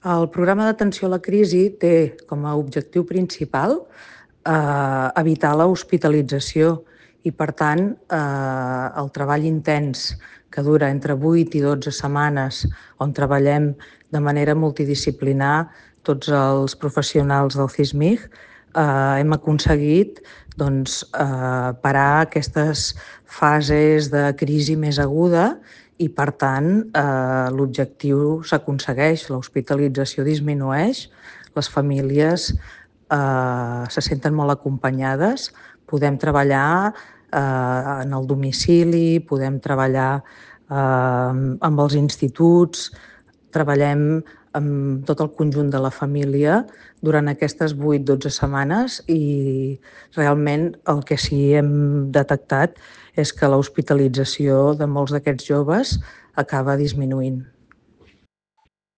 El programa d'atenció a la crisi té com a objectiu principal evitar l'hospitalització i, per tant, el treball intens que dura entre 8 i 12 setmanes, on treballem de manera multidisciplinar tots els professionals del CISMIG, hem aconseguit parar aquestes fases de crisi més aguda i, per tant, l'objectiu s'aconsegueix, l'hospitalització disminueix, les famílies se senten molt acompanyades, podem treballar en el domicili, podem treballar amb els instituts, treballem amb tot el conjunt de la família durant aquestes 8-12 setmanes i realment el que sí hem detectat és que l'hospitalització de molts d'aquests joves acaba disminuint.